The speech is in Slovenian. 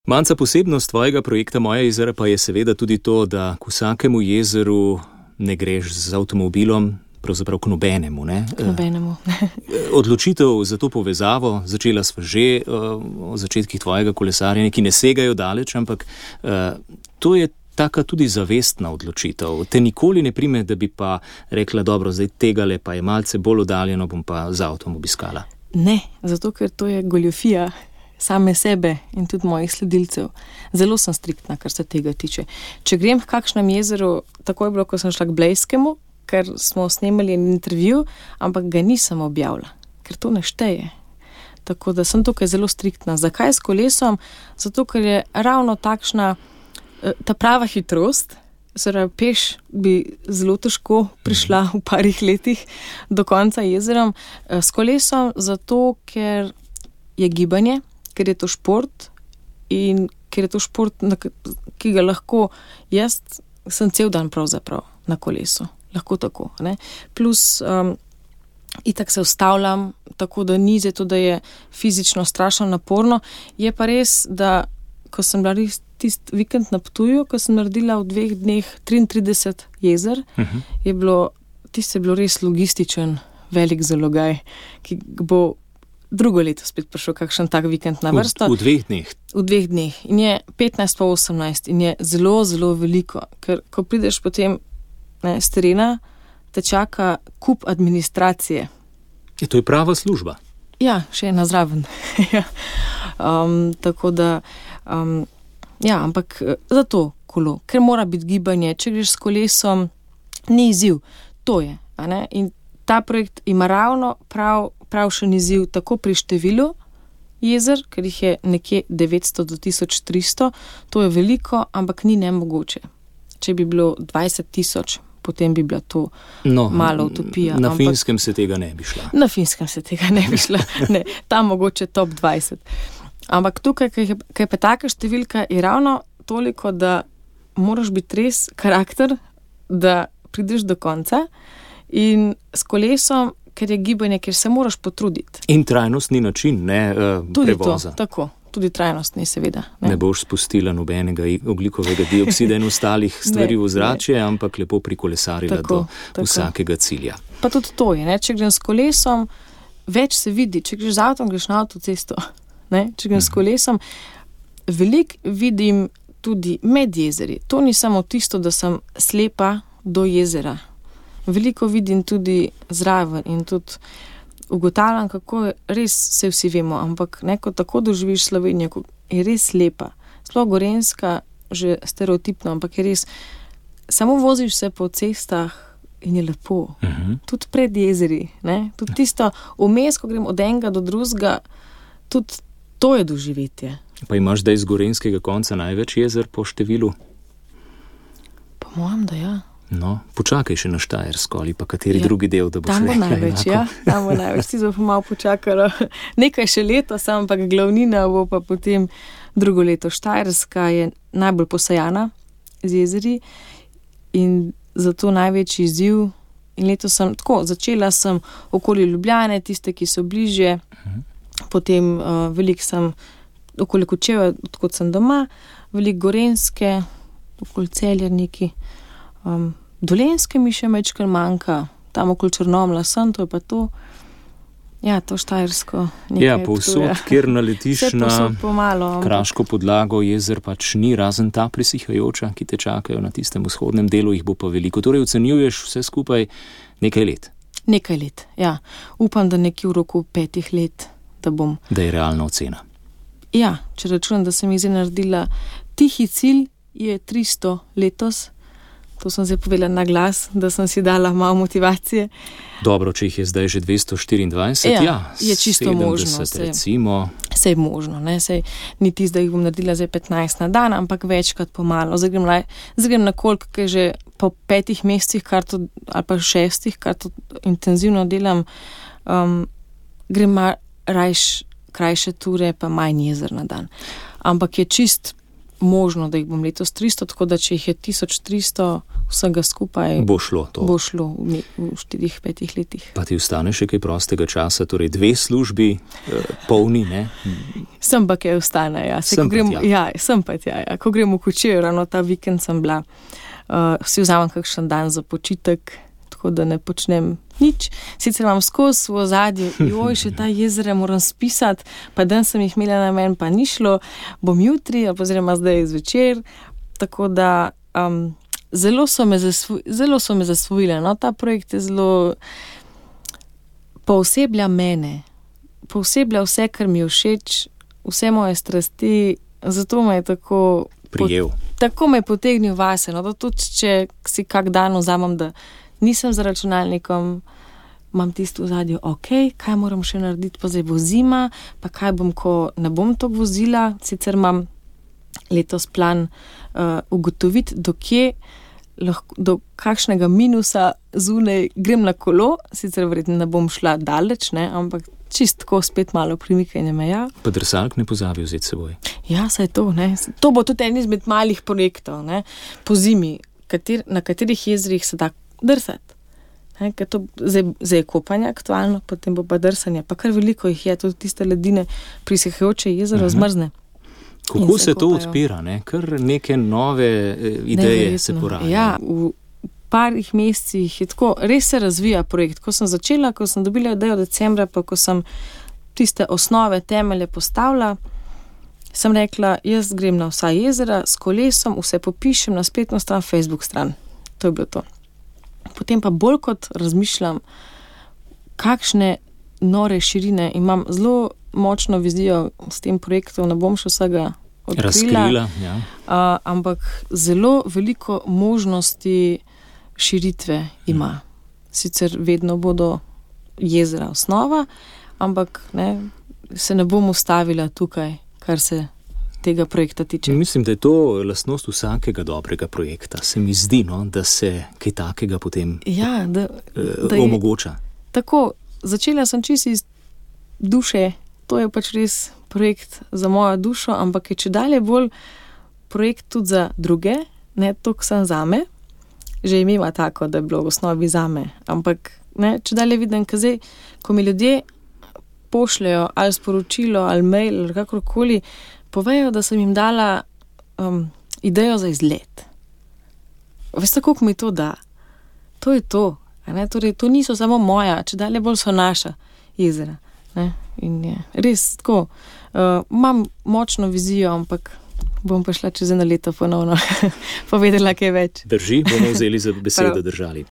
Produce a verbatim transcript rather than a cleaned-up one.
Manca, posebnost tvojega projekta Moja jezera pa je seveda tudi to, da k vsakemu jezeru ne greš z avtomobilom, pravzaprav k nobenemu. Ne? K nobenemu. Odločitev za to povezavo, začela sva že o začetkih tvojega kolesarjenja, ki ne segajo daleč, ampak to je taka tudi zavestna odločitev. Te nikoli ne prime, da bi pa rekla, dobro, zdaj tegale pa je malce bolj oddaljeno, bom pa z avtom obiskala. Ne, zato ker to je goljofija same sebe in tudi mojih sledilcev. Zelo sem striktna, kar se tega tiče. Če grem k kakšnem jezeru, tako je bilo, ko sem šla k Blejskemu, ker smo snemali en intervju, ampak ga nisem objavila, ker to ne šteje. Tako da sem tukaj zelo striktna. Zakaj s kolesom? Zato, ker je ravno takšna ta prava hitrost, Zdaj, peš bi zelo težko prišla v parih letih do konca jezerom. S kolesom zato, ker je gibanje, ker je to šport in ker je to šport, ki ga lahko jaz sem cel dan pravzaprav na kolesu. Lahko tako, ne. Plus um, itak se ustavljam, tako da ni zato, da je fizično strašno naporno. Je pa res, da ko sem bila res tist vikend na Ptuju, ko sem naredila v dveh dneh triintrideset jezer, uh-huh. je bilo, tist je bilo res logističen velik zalogaj, ki bo drugo leto spet prišel kakšen tak vikend na vrsto. V, v dveh dneh? V dveh dneh. In je petnajst pa osemnajst in je zelo, zelo veliko, ker ko prideš potem ne, s terena, te čaka kup administracije. Je to je prava služba? Ja, še ena zraven. um, tako da um, ja, ampak zato kolo, ker mora biti gibanje, če greš s kolesom, ni izziv, to je, a ne? In ta projekt ima ravno prav, pravšen izziv tako pri številu jezer, ker jih je nekje devetsto do tisoč tristo, to je veliko, ampak ni nemogoče. Če bi bilo dvajset tisoč, potem bi bila to no, malo utopija. Na ampak, Finskem se tega ne bi šla. Na Finskem se tega ne bi šla, ne, tam mogoče top dvajset. Ampak tukaj, kaj je, kaj je pa taka številka, je ravno toliko, da moraš biti res karakter, da prideš do konca in s kolesom, ker je gibanje, ker se moraš potruditi. In trajnostni način, ne uh, tudi prevoza. To, tako, tudi trajnostni seveda. Ne, ne boš spustila nobenega ogljikovega dioksida in ostalih stvari v zračje, ampak lepo prikolesarila tako, do tako. Vsakega cilja. Pa tudi to je, ne? Če grem s kolesom, več se vidi, če greš z avtom, greš na avtocesto. Ne, če grem s kolesom, veliko vidim tudi med jezeri. To ni samo tisto, da sem slepa do jezera. Veliko vidim tudi zraven in tudi ugotavljam, kako je, res se vsi vemo, ampak neko tako doživiš Slovenijo, ko je res lepa. Sploh Gorenjska, že stereotipno, ampak je res, samo voziš se po cestah in je lepo. Uh-huh. Tudi pred jezeri, ne? Tudi tisto vmes, ko grem od enega do drugega, tudi to je doživetje. Pa imaš zdaj z gorenjskega konca največ jezer po številu? Po mojem, da ja. No, počakaj še na Štajersko ali pa kateri ja, drugi del, da boš rekla enako. Tam bo največ, ja. Tam bo največ. Ti bo pa malo počakalo. Nekaj še leto, sam pa glavnina bo pa potem drugo leto. Štajerska je najbolj posajana z jezeri in zato največji izziv. In leto sem tako, začela sem okoli Ljubljane, tiste, ki so bližje, uh-huh. Potem uh, veliko sem okoli Kočevja, odkot sem doma, veliko Gorenjske, okoli Celja neki, um, Dolenjske mi še mečkar manjka, tam okoli Črnomlja sem, to je pa to. Ja, to Štajersko. Ja, povsod, kjer naletiš na pomalo, kraško podlago, jezer pač ni, razen ta prisihajoča, ki te čakajo na tistem vzhodnem delu, jih bo pa veliko. Torej ocenjuješ vse skupaj nekaj let? Nekaj let, ja. Upam, da nekje v roku petih let da bom. Da je realna ocena. Ja, če računam, da sem jih naredila. Tihi cilj je tristo letos. To sem zdaj povedala na glas, da sem si dala malo motivacije. Dobro, če jih je zdaj že dvesto štiriindvajset, ja, ja je čisto možno. Recimo. Sej je možno, ne, sej ni tisto, da jih bom naredila zdaj petnajst na dan, ampak večkrat pomalo. Zdaj grem, zdaj grem na koliko, kaj že po petih mesecih, kar to, ali pa šestih, kar to intenzivno delam, um, grem mar, rajš krajše ture, pa manj jezer na dan. Ampak je čist možno, da jih bom letos tristo, tako da če jih je tisoč tristo vsega skupaj, bo šlo to. Bo šlo v, v štirih, petih letih. Pa ti ostane še kaj prostega časa, torej dve službi, eh, polni, ne? Sem pa kaj ostane, ja. Se, sem ko grem, pa ja, sem pa tja, ja. Ko grem v Kočevje, ravno ta vikend sem bila, uh, si vzamem kakšen dan za počitek, tako da ne počnem nič. Sicer imam skozi v ozadju, joj, še ta jezera moram spisati, pa dan sem jih imela na men, pa ni šlo, bom jutri, ali oziroma zdaj zvečer, tako da um, zelo so me, zasvo, zelo so me zasvojile. No, ta projekt je zelo pooseblja mene, pooseblja vse, kar mi je všeč, vse moje strasti, zato me je tako prijel. Pot, tako me je potegnil vase, no, da tudi, če si kak dan vzamem, da nisem za računalnikom, imam tisto v zadju, ok, kaj moram še narediti, pa zdaj bo zima, pa kaj bom, ko ne bom to vozila, sicer imam letos plan uh, ugotoviti, do kje, lahko, do kakšnega minusa zunaj grem na kolo, sicer verjetno ne bom šla daleč, ne, ampak čist tako spet malo premikanje meja. Pa drsalk ne pozabi vzeti seboj. Ja, saj to, ne. To bo tudi en izmed malih projektov, ne, po zimi, kater, na katerih jezerih se da drsati. Ne, ker to zdaj, zdaj je kopanje aktualno, potem bo pa drsanje, pa kar veliko jih je, tudi tiste ledine prisehajoče jezero uh-huh. zmrzne. Kako se, se to odpira, ne? Kar neke nove ideje ne, se porajajo. Ja, v parih mesecih je tako, res se razvija projekt. Ko sem začela, ko sem dobila idejo decembra, pa ko sem tiste osnove, temelje postavila, sem rekla, jaz grem na vsa jezera s kolesom, vse popišem na spletno stran, Facebook stran. To je bilo to. Potem pa bolj kot razmišljam, kakšne nore širine imam, zelo močno vizijo s tem projektom, ne bom še vsega odkrila, razkrila, ja. uh, ampak zelo veliko možnosti širitve ima. Sicer vedno bodo jezera osnova, ampak ne, se ne bom ustavila tukaj, kar se tega projekta tiče. Mislim, da je to lastnost vsakega dobrega projekta. Se mi zdi, no, da se kaj takega potem ja, da, eh, da je, omogoča. Tako, začela sem čisto iz duše, to je pač res projekt za mojo dušo, ampak je če dalje bolj projekt tudi za druge, ne toliko sem zame, že imela tako, da je bilo v osnovi zame, ampak ne, če dalje vidim, kazaj, ko mi ljudje pošljajo ali sporočilo, ali mail, ali kakorkoli, povejo, da sem jim dala um, idejo za izlet. Veste, koliko mi to da? To je to. Ne? Torej, to niso samo moja, če dalje bolj so naša jezera. Ne? In je res tako. Uh, imam močno vizijo, ampak bom pa šla čez eno leto ponovno povedala kaj več. Drži, bomo vzeli za besedo držali.